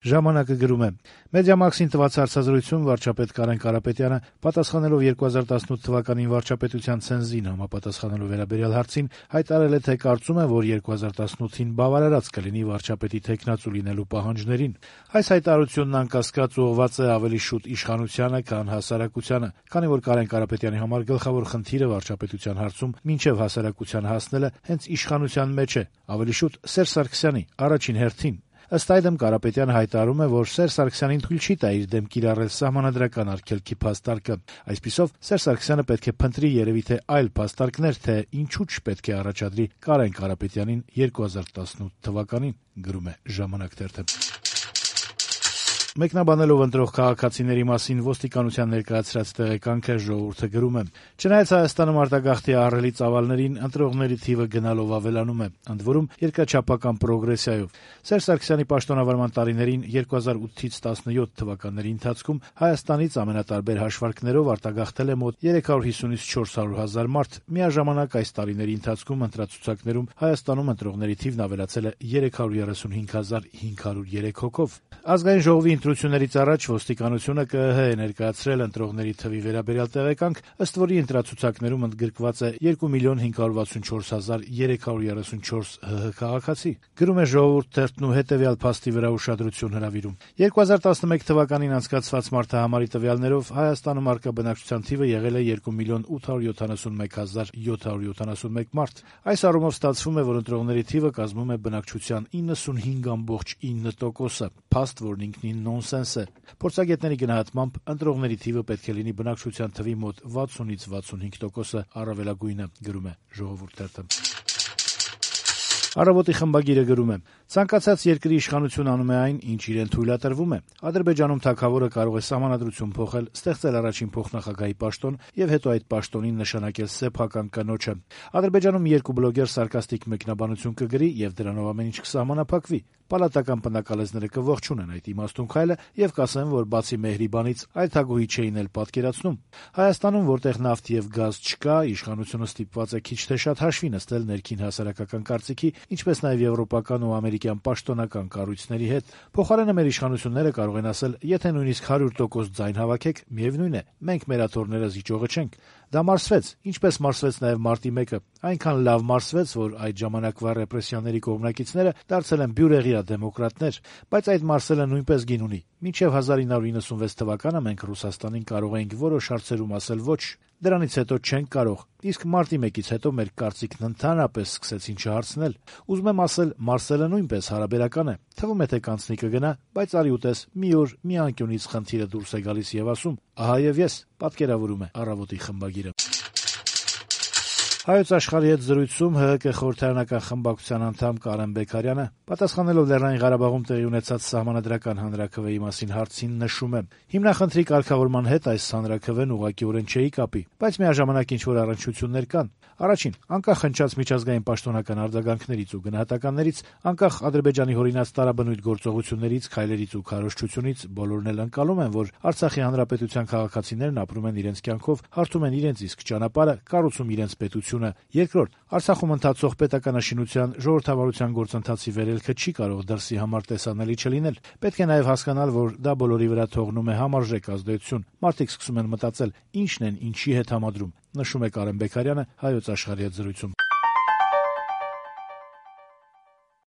Ժամանակը գրում է. «Մեդիամաքսին տված հարցազրույցում վարչապետ Կարեն Կարապետյանը, պատասխանելով 2018 թվականին վարչապետության ցենզին համապատասխանելու վերաբերյալ հարցին, հայտարարել է, թե կարծում է, որ 2018-ին բավարարած կլինի վարչապետի թեկնածու լինելու պահանջներին։ Այս հայտարարությունն անկասկած ուղղված է ավելի շուտ իշխանությանը, քան հասարակությանը, քանի որ Կարեն Կարապետյանի համար գլխավոր խնդիրը վարչապետության հարցում մինչև հասարակության հասնելը հենց իշխանության մեջ է, ավելի շուտ Սերժ Սարգսյանի առաջին հերթին։ Ըստ այդմ Կարապետյանը հայտարարում է, որ Սերժ Սարգսյանին թույլ չի տա իր դեմ կիրառել սահմանադրական արգելքի փաստարկը։ Այսպիսով Սերժ Սարգսյանը պետք է փնտրի երևի թե այլ փաստարկներ, թե ինչու չպետք է առաջադրի Կարեն Կարապետյանին 2018 թվականին, գրում է «Ժամանակ» թերթը»։ Մեկնաբանելով ընտրող քաղաքացիների մասին ոստիկանության ներկայացրած տեղեկանքը «Ժողովուրդ»-ը գրում է. «Չնայած Հայաստանում արտագաղթի ահռելի ծավալներին, ընտրողների թիվը գնալով ավելանում է, ընդ որում երկրաչափական պրոգրեսիայով։ Սերժ Սարգսյանի պաշտոնավարման տարիներին 2008-ից 17 թվականների ընթացքում Հայաստանից ամենատարբեր հաշվարկներով արտագաղթել է մոտ 350-ից 400 հազար մարդ։ Միաժամանակ այս տարիների ընթացքում ընտրացուցակներում Հայաստանում ընտրողների թիվն ավելացել է 335.503 հոգով։ Ազգային ժողովի ընտրություններից առաջ ոստիկանությունը ԿԸՀ է ներկայացրել ընտրողների թվի վերաբերյալ տեղեկանք, ըստ որի ընտրացուցակներում ընդգրկված է 2.564.334 ՀՀ քաղաքացի, գրում է «Ժողովուրդ» թերթն ու հետեւյալ փաստի վրա ուշադրություն հրավիրում. 2011 թվականին անցկացված մարդահամարի տվյալներով Հայաստանում առկա բնակչության թիվը եղել է 2.871.771 մարդ։ Այս առումով ստացվում է, որ ընտրողների թիվը կազմում է բնակչության 95.9%-ը, փաստ, որն ինքնին նոնսենս է։ Փորձագետների գնահատմամբ ընտրողների թիվը պետք է լինի բնակչության թվի մոտ 60-ից 65%-ը առավելագույնը, գրում է «Ժողովուրդ» թերթը»։ «Առավոտ»-ի խմբագիրը գրում է. «Ցանկացած երկրի իշխանություն անում է այն, ինչ իրեն թույլատրվում է։ Ադրբեջանում թագավորը կարող է սահմանադրություն փոխել, ստեղծել առաջին փոխնախագահի պաշտոն եւ հետո այդ պաշտոնին նշանակել սեփական կնոջը։ Ադրբեջանում երկու բլոգեր սարկաստիկ մեկնաբանություն կգրի եւ դրանով ամեն ինչ կսահմանափակվի։ Պալատական պնակալեզները կողջունեն այդ իմաստուն քայլը եւ կասեն, որ բացի Մեհրիբանից այլ թագուհի չէին էլ պատկերացնում։ Հայաստանում, որտեղ նավթ եւ գազ չկա, իշխանությունը ստիպված է քիչ թե շատ հաշվի նստել ներքին հասարակական կարծիքի, ինչպես նաեւ եվրոպական ու ամերիկյան պաշտոնական կառույցների հետ։ Փոխարենը մեր իշխանությունները կարող են ասել, եթե նույնիսկ 100% ձայն հավաքեք, միևնույն է, մենք մեր աթոռները զիջողը չենք։ Դա մարսվեց, ինչպես մարսվեց նաեւ մարտի 1-ը, այնքան լավ մարսվեց, որ այդ ժամանակվա ռեպրեսիաների կողմնակիցները դարձել են բյուրեղյա դեմոկրատներ, բայց այդ մարսելը նույնպես գին ունի։ Մինչև 1996 թվականը մենք Ռուսաստանին կարող էինք որոշ հարցերում ասել ոչ, դրանից հետո չենք կարող, իսկ մարտի 1-ից հետո մեր կարծիքն ընդհանրապես սկսեցին չհարցնել։ Ուզում եմ ասել, մարսելը նույնպես հարաբերական է, թվում է թե կանցնի կգնա, բայց արի ուտես, մի օր մի անկյունից խնդիրը դուրս է գալիս եւ ասում, ահա եւ ես, պատկերավորում է «Առավոտ»-ի խմբագիրը»։ Հայոց Աշխարհի հետ զրույցում ՀՀԿ խորհրդարանական խմբակցության անդամ Կարեն Բեկարյանը, պատասխանելով Լեռնային Ղարաբաղում տեղի ունեցած սահմանադրական հանրաքվեի մասին հարցին, նշում է. «Հիմնախնդրի կարգավորման հետ այս հանրաքվեն ուղղակիորեն չէի կապի, բայց միաժամանակ ինչ-որ առնչություններ կան։ Առաջին, անկախ հնչած միջազգային պաշտոնական արձագանքներից ու գնահատականներից, անկախ Ադրբեջանի հորինած տարաբնույթ գործողություններից, քայլերից ու քարոզչությունից, բոլորն էլ ընկալում են, որ Արցախի հանրապետության քաղաքացիներն ապրում են իրենց կյանքով, հարթում են իրենց իսկ ճանապարհը, կառուցում իրենց պետությունը։ Երկրորդ, Արցախում ընթացող պետականաշինության, ժողովրդավարության գործընթացի վերելքը չի կարող դրսի համար տեսանելի չլինել։ Պետք է նաև հասկանալ, որ դա բոլորի վրա թողնում է համարժեք ազդեցություն։ Մարդիկ սկսում են մտածել, ինչն են ինչի հետ համադրում», նշում է Կարեն Բեկարյանը Հայոց Աշխարհի հետ զրույցում։